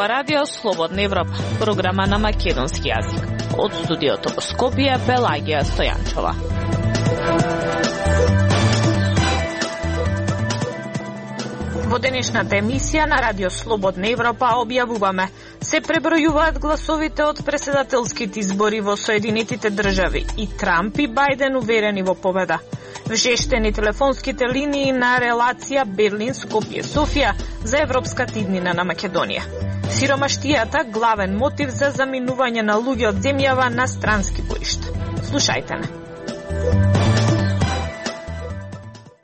ова радио Слободна Европа, програма на македонски јазик. Од студиото во Скопје, Пелагија Стојанчова. Во денешната емисија на радио Слободна Европа објавуваме: се пребројуваат гласовите од претседателските избори во Соединетите држави и Трамп и Бајден уверени во победа. Вжештени телефонските линии на релација Берлин-Скопје-Софија за Европската иднина на Македонија. Сиромаштијата главен мотив за заминување на луѓе од земјава на странски боишта. Слушајте ме.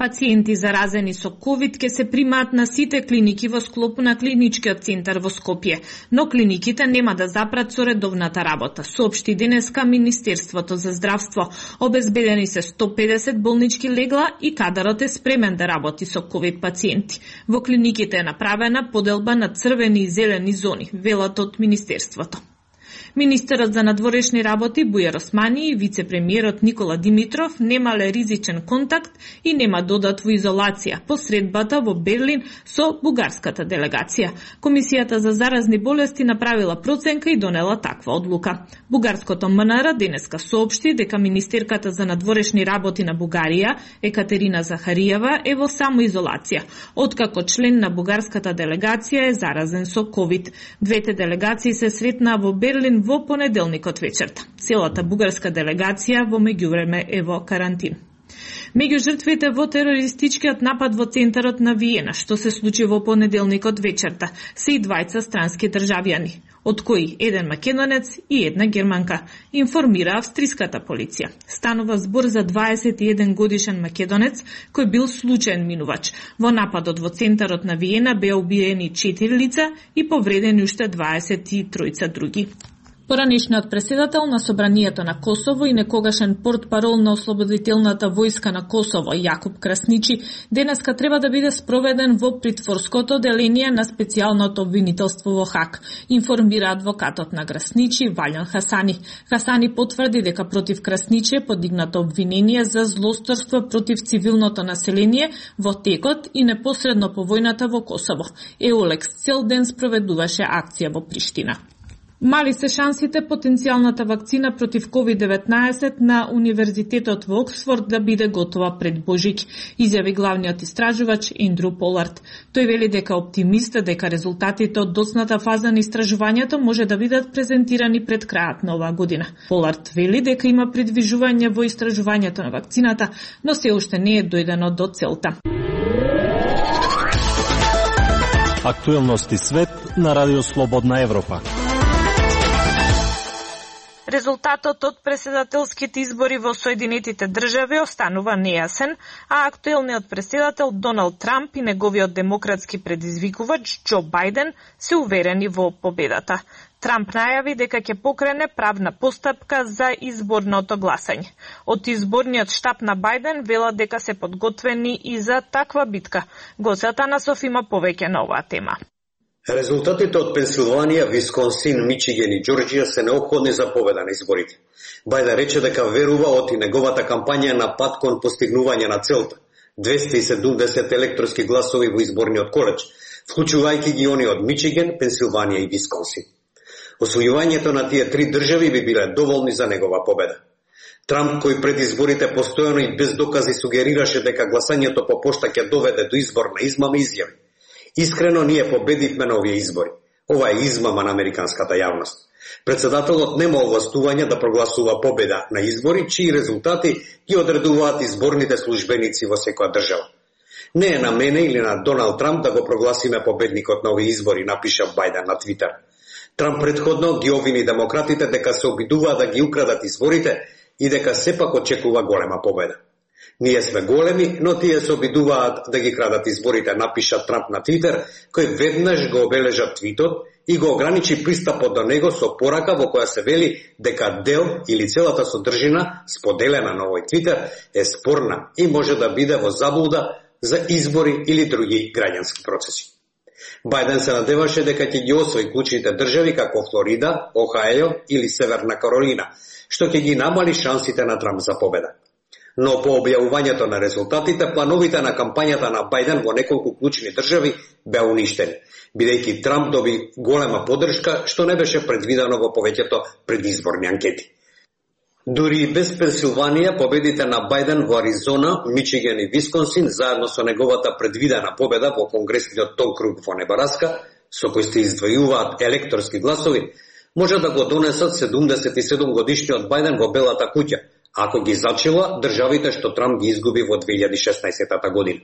Пациенти заразени со ковид ќе се примаат на сите клиники во склоп на клиничкиот центар во Скопје, но клиниките нема да запрат со редовната работа, соопшти денеска Министерството за здравство. Обезбедени се 150 болнички легла и кадарот е спремен да работи со ковид пациенти. Во клиниките е направена поделба на црвени и зелени зони, велат од Министерството. Министерот за надворешни работи Бујар Османи и вице-премиерот Никола Димитров немале ризичен контакт и нема додат во изолација по средбата во Берлин со бугарската делегација. Комисијата за заразни болести направила проценка и донела таква одлука. Бугарското МНР денеска соопшти дека министерката за надворешни работи на Бугарија, Екатерина Захариева, е во самоизолација, откако член на бугарската делегација е заразен со ковид. Двете делегации се сретнаа во Берлин во понеделникот вечерта. Целата бугарска делегација во меѓувреме е во карантин. Меѓу жртвите во терористичкиот напад во центарот на Виена, што се случи во понеделникот вечерта, се и двајца странски државјани, од кои еден македонец и една германка, информира австриската полиција. Станува збор за 21 годишен македонец кој бил случаен минувач. Во нападот во центарот на Виена беа убиени 4 лица и повредени уште 23 други. Поранешниот претседател на Собранието на Косово и некогашен портпарол на Ослободителната војска на Косово, Јакуп Красничи, денеска треба да биде спроведен во притворското деление на специјалното обвинителство во Хаг, информира адвокатот на Красничи, Валјан Хасани. Хасани потврди дека против Красничи е подигнато обвинение за злосторство против цивилното население во текот и непосредно по војната во Косово. Еолекс цел ден спроведуваше акција во Приштина. Мали се шансите потенцијалната вакцина против COVID-19 на Универзитетот во Оксфорд да биде готова пред Божик, изјави главниот истражувач Ендрю Полард. Тој вели дека оптимист дека резултатите од доцната фаза на истражувањето може да бидат презентирани пред крајот на оваа година. Полард вели дека има придвижување во истражувањето на вакцината, но се уште не е дојдено до целта. Актуелности свет на Радио Слободна Европа. Резултатот од претседателските избори во Соединетите држави останува нејасен, а актуелниот претседател Доналд Трамп и неговиот демократски предизвикувач Џо Бајден се уверени во победата. Трамп најави дека ќе покрене правна постапка за изборното гласање. Од изборниот штаб на Бајден велат дека се подготвени и за таква битка. Гоце Атанасов има повеќе на оваа тема. Резултатите од Пенсилванија, Висконсин, Мичиген и Џорџија се неопходни за победа на изборите. Бајден рече дека верува од и неговата кампања на пат кон постигнување на целта. 270 електорски гласови во изборниот коледж, вклучувајќи ги они од Мичиген, Пенсилванија и Висконсин. Освојувањето на тие три држави би биле доволни за негова победа. Трамп, кој пред изборите постојано и без докази сугерираше дека гласањето по пошта ќе доведе до изборна измама, изјави: искрено ние победивме на овие избори. Ова е измама на американската јавност. Претседателот нема овластување да прогласува победа на избори, чии резултати ги одредуваат изборните службеници во секоја држава. Не е на мене или на Доналд Трамп да го прогласиме победникот на овие избори, напиша Бајден на Твитер. Трамп предходно ги обвини демократите дека се обидуваат да ги украдат изборите и дека сепак очекува голема победа. Ние сме големи, но тие се обидуваат да ги крадат изборите, напиша Трамп на Твитер, кој веднаш го обележа твитот и го ограничи пристапот до него со порака во која се вели дека дел или целата содржина, споделена на овој Твитер, е спорна и може да биде во заблуда за избори или други граѓански процеси. Бајден се надеваше дека ќе ги освои клучните држави како Флорида, Охајо или Северна Каролина, што ќе ги намали шансите на Трамп за победа. Но по објавувањето на резултатите, плановите на кампањата на Бајден во неколку клучни држави беа уништени, бидејќи Трамп доби голема поддршка, што не беше предвидено во повеќето предизборни анкети. Дури и без Пенсилванија, победите на Бајден во Аризона, Мичиген и Висконсин, заедно со неговата предвидена победа во Конгресниот округ во Небараска, со кој се издвојуваат електорски гласови, може да го донесат 77 годишниот Бајден во Белата куќа, ако ги зачела државите што Трамп ги изгуби во 2016 година.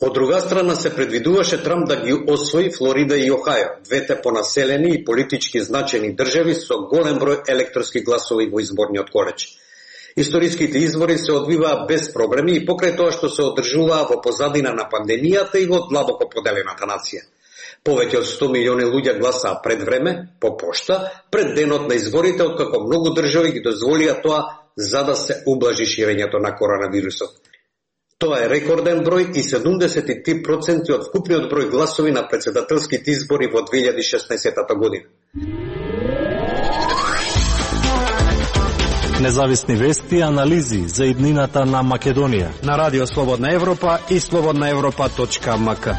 Од друга страна се предвидуваше Трамп да ги освои Флорида и Охајо, двете понаселени и политички значени држави со голем број електорски гласови во изборниот колеж. Историските избори се одвиваа без проблеми и покрај тоа што се одржуваа во позадина на пандемијата и во длабоко поделената нација. Повеќе од 100 милиони луѓе гласаа пред време, по пошта, пред денот на изборите, откако многу држави ги дозволија тоа за да се ублажи ширењето на коронавирусот. Тоа е рекорден број и 73% од вкупниот број гласови на претседателските избори во 2016 година. Независни вести и анализи за иднината на Македонија на Радио Слободна Европа и slobodnaevropa.mk.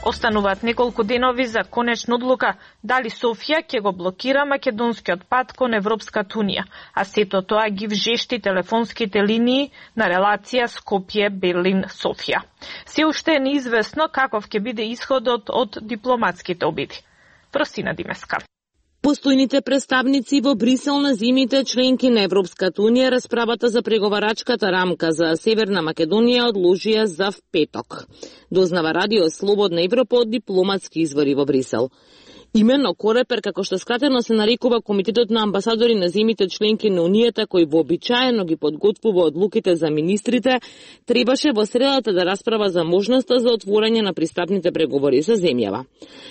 Остануваат неколку денови за конечна одлука дали Софија ќе го блокира македонскиот пат кон Европската унија, а сето тоа ги вжешти телефонските линии на релација Скопје-Берлин-Софија. Се уште е неизвестно каков ќе биде исходот од дипломатските обиди. Просина Димеска. Постојните представници во Брисел на земјите членки на Европската унија расправата за преговарачката рамка за Северна Македонија одложија за петок. Дознава Радио Слободна Европа од дипломатски извори во Брисел. Именно Корепер, како што скратено се нарекува Комитетот на амбасадори на земјите членки на Унијата, кој вообичаено ги подготвува одлуките за министрите, требаше во средата да расправа за можноста за отворање на пристапните преговори со земјава.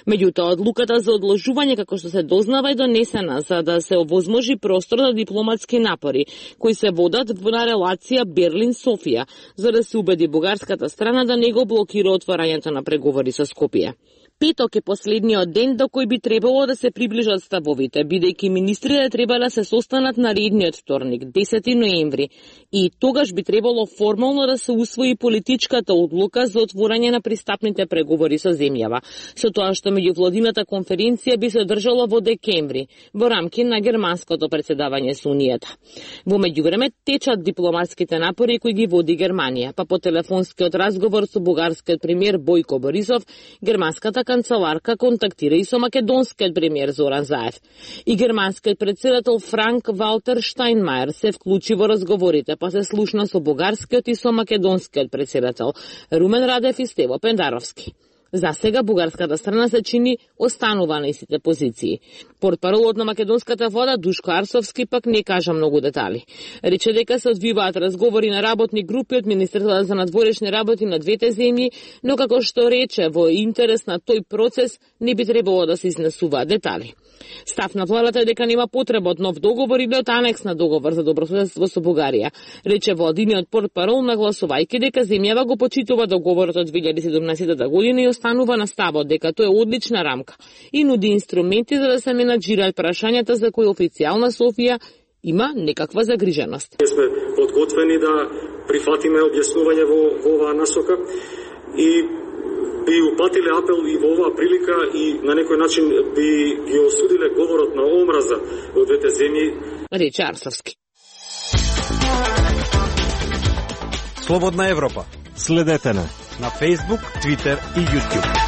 Меѓутоа, одлуката за одложување, како што се дознава, е донесена за да се овозможи простор за дипломатски напори, кои се водат на релација Берлин-Софија, за да се убеди бугарската страна да не го блокира отворањето на преговори со Скопје. Петок е последниот ден до кој би требало да се приближат ставовите, бидејќи министрите треба да се состанат на редниот вторник, 10 ноември, и тогаш би требало формално да се усвои политичката одлука за отворање на пристапните преговори со земјава, со тоа што меѓувладината конференција би се одржала во декември, во рамки на германското претседавање со Унијата. Во меѓувреме течат дипломатските напори кои ги води Германија, па по телефонскиот разговор со бугарскиот премиер Бојко Борисов, германската канцеларка контактира и со македонскиот премиер Зоран Заев. И германскиот претседател Франк Валтер Штајнмајер се вклучи во разговорите, па се слушна со бугарскиот и со македонскиот претседател Румен Радев и Стево Пендаровски. За сега бугарската страна се чини останува на истите позиции. Портпаролот на македонската влада Душко Арсовски пак не кажа многу детали. Рече дека се одвиваат разговори на работни групи од Министерството за надворешни работи на двете земји, но како што рече, во интерес на тој процес не би требало да се изнесуваат детали. Став на владата е дека нема потреба од нов договор или од анекс на договор за добрососедство со Бугарија, рече владиниот портпарол, нагласувајќи дека земјава го почитува договорот од 2017 година и останува на ставот дека тоа е одлична рамка и нуди инструменти за да се менаџираат прашањата за кои официјална Софија има некаква загриженост. Сме подготвени да прифатиме објаснување во оваа насока и би упатиле апел и во оваа прилика и на некој начин би ги осудиле говорот на омраза во двете земји. Рече Арсовски. Слободна Европа. Следете на Facebook, Twitter и YouTube.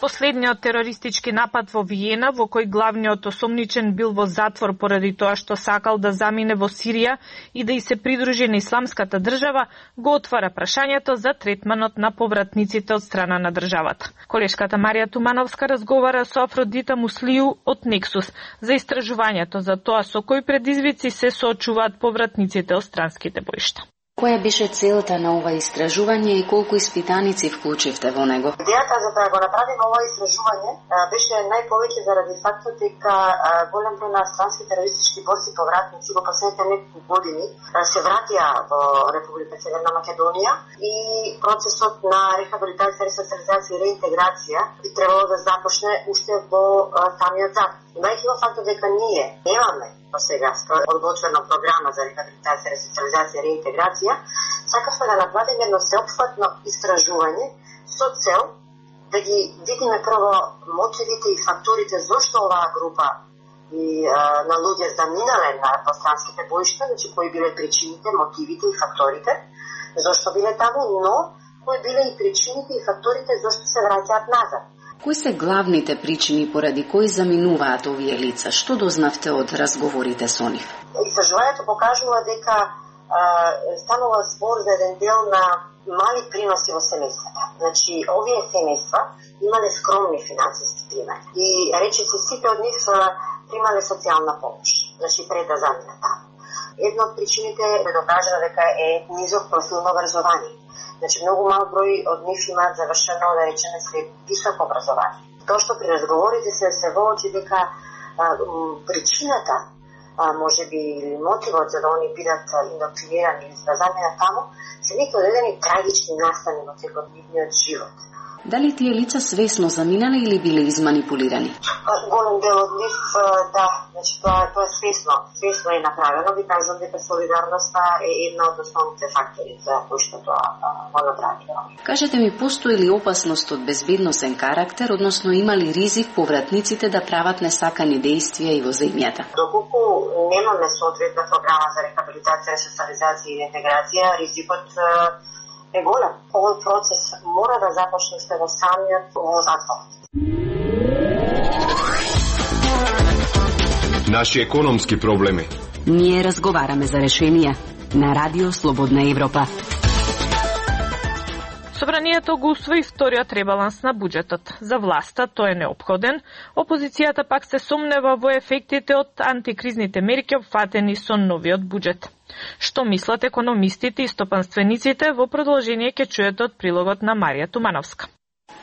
Последниот терористички напад во Виена, во кој главниот осомничен бил во затвор поради тоа што сакал да замине во Сирија и да и се придружи на исламската држава, го отвара прашањето за третманот на повратниците од страна на државата. Колешката Марија Тумановска разговара со Афродита Муслију од Нексус за истражувањето за тоа со кои предизвици се соочуваат повратниците од странските боишта. Која беше целта на ова истражување и колку испитаници вклучивте во него? Идејата за да го направиме ова истражување беше најповеќе заради фактот дека голем број на странски терористички борци повратници во последните неколку години се вратија во Република Северна Македонија и процесот на рехабилитација, ресоциализација и реинтеграција би требало да започне уште во самиот закон. Имајќи во фактот дека ние немаме по сега одготвена програма за рехабилитација, ресоциализација и реинтеграција, сакавме да направиме едно сеопфатно истражување со цел да ги видиме прво мотивите и факторите зошто оваа група и на луѓе заминале на странските боишта, значи кои биле причините, мотивите и факторите зошто биле таму, но кои биле и причините и факторите зошто се враќаат назад. Кои се главните причини поради кои заминуваат овие лица? Што дознавте од разговорите со нив? Истражувањето покажува дека станува збор за еден дел на мали приноси во семејствата. Значи, овие семејства имале скромни финансиски примери и речиси сите од нив примале социјална помош, значи пред да заминат таму. Една од причините е докажано дека е низок профилно образование. Значи, многу мал број од нив имаат завршено, да речеме, високо образование. Тоа што при разговорите се воочи дека причината, може би мотивот за да они бидат индоктринирани или да заминат таму, се некои одредени трагични настани во текот нивниот живот. Дали тие лица свесно заминале или биле изманипулирани? Голем дел од нив, да, значи тоа е свесно е направено. Ви кажам дека солидарноста е една од основните фактори за кои што тоа го направило. Кажете ми, постои ли опасност од безбедносен карактер, односно има ли ризик повратниците да прават несакани дејствија и во земјата? Доколку немаме соодветна програма за рехабилитација, ресоциализација и интеграција, ризикот е голем. Овој процес мора да започне уште во самиот закон. Наши економски проблеми. Ние разговараме за решенија на Радио Слободна Европа. Собранието го усвои вториот ребаланс на буџетот. За власта тој е неопходен, опозицијата пак се сомнева во ефектите од антикризните мерки опфатени со новиот буџет. Што мислат економистите и стопанствениците, во продолжение ќе чуете од прилогот на Марија Тумановска.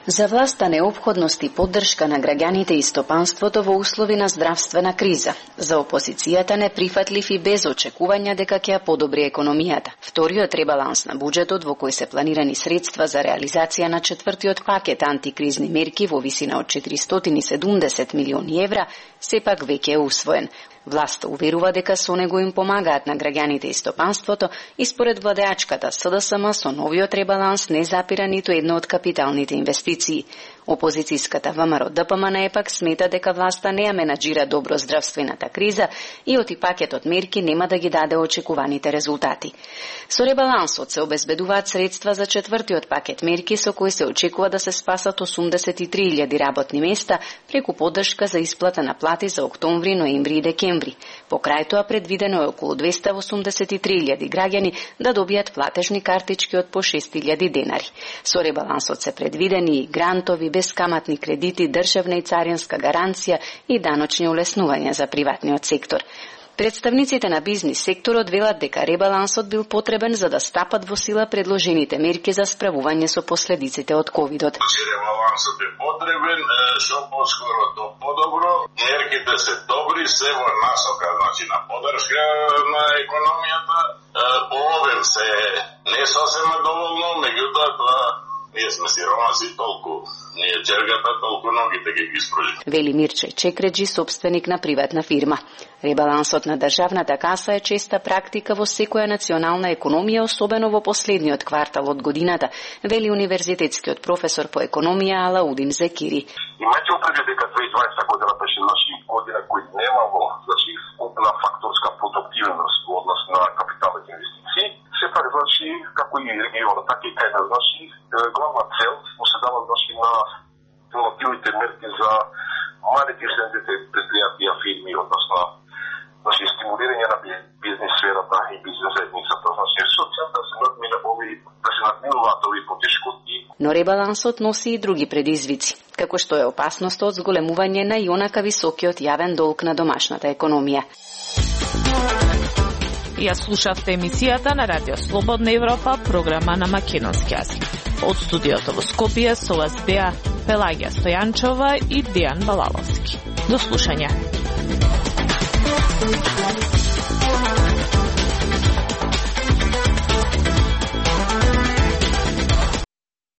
За власта неопходност и поддршка на граѓаните и стопанството во услови на здравствена криза. За опозицијата неприфатлив и без очекувања дека ќе ја подобри економијата. Вториот ребаланс на буџетот во кој се планирани средства за реализација на четвртиот пакет антикризни мерки во висина од 470 милиони евра сепак веќе е усвоен. Власта уверува дека со него им помагаат на граѓаните и стопанството и според владеачката СДСМ со новиот ребаланс не запира ниту едно од капиталните инвестиции. Опозицијската ВМРО ДПМН пак смета дека власта не ја менаџира добро здравствената криза и оти пакетот мерки нема да ги даде очекуваните резултати. Со ребалансот се обезбедуваат средства за четвртиот пакет мерки со кои се очекува да се спасат 83.000 работни места преку поддршка за исплата на плати за октомври, ноември и декември. По крај тоа предвидено е околу 283.000 граѓани да добијат платежни картички од по 6.000 денари. Со ребалансот се предвидени грантови, бескаматни кредити, државна и царинска гаранција и даночни улеснувања за приватниот сектор. Представниците на бизнис секторот велат дека ребалансот бил потребен за да стапат во сила предложените мерки за справување со последиците од ковидот. Ребалансот е потребен, што поскоро до подобро, мерките се добри, се во насока, значи на поддршка на економијата, по обем се не сосема доволно, меѓутоа тоа ние сме сиромаси толку, ние джергата толку ногите ги испружи. Вели Мирче Чекреджи, собственик на приватна фирма. Ребалансот на државната каса е честа практика во секоја национална економија, особено во последниот квартал од годината, вели универзитетскиот професор по економија Алаудин Зекири. Имајте предвид дека 2020 година беше година кој немало вкупна факторска продуктивност во однос на капиталните инвестиции. Сепак, како и регионот, така и кај нас, главна цел се дава на стимулативните мерки за малите и средните предпријатија, фирми, односно стимулирање на бизнес сферата и бизнес заедницата. Со цел да се надминуваат овие потешкоти. Но ребалансот носи и други предизвици, како што е опасноста од зголемување на и онака високиот јавен долг на домашната економија. Ја слушавте емисијата на Радио Слободна Европа, програма на македонски јазик. Од студиото во Скопје со вас беа Пелагија Стојанчова и Дејан Балаловски. До слушање.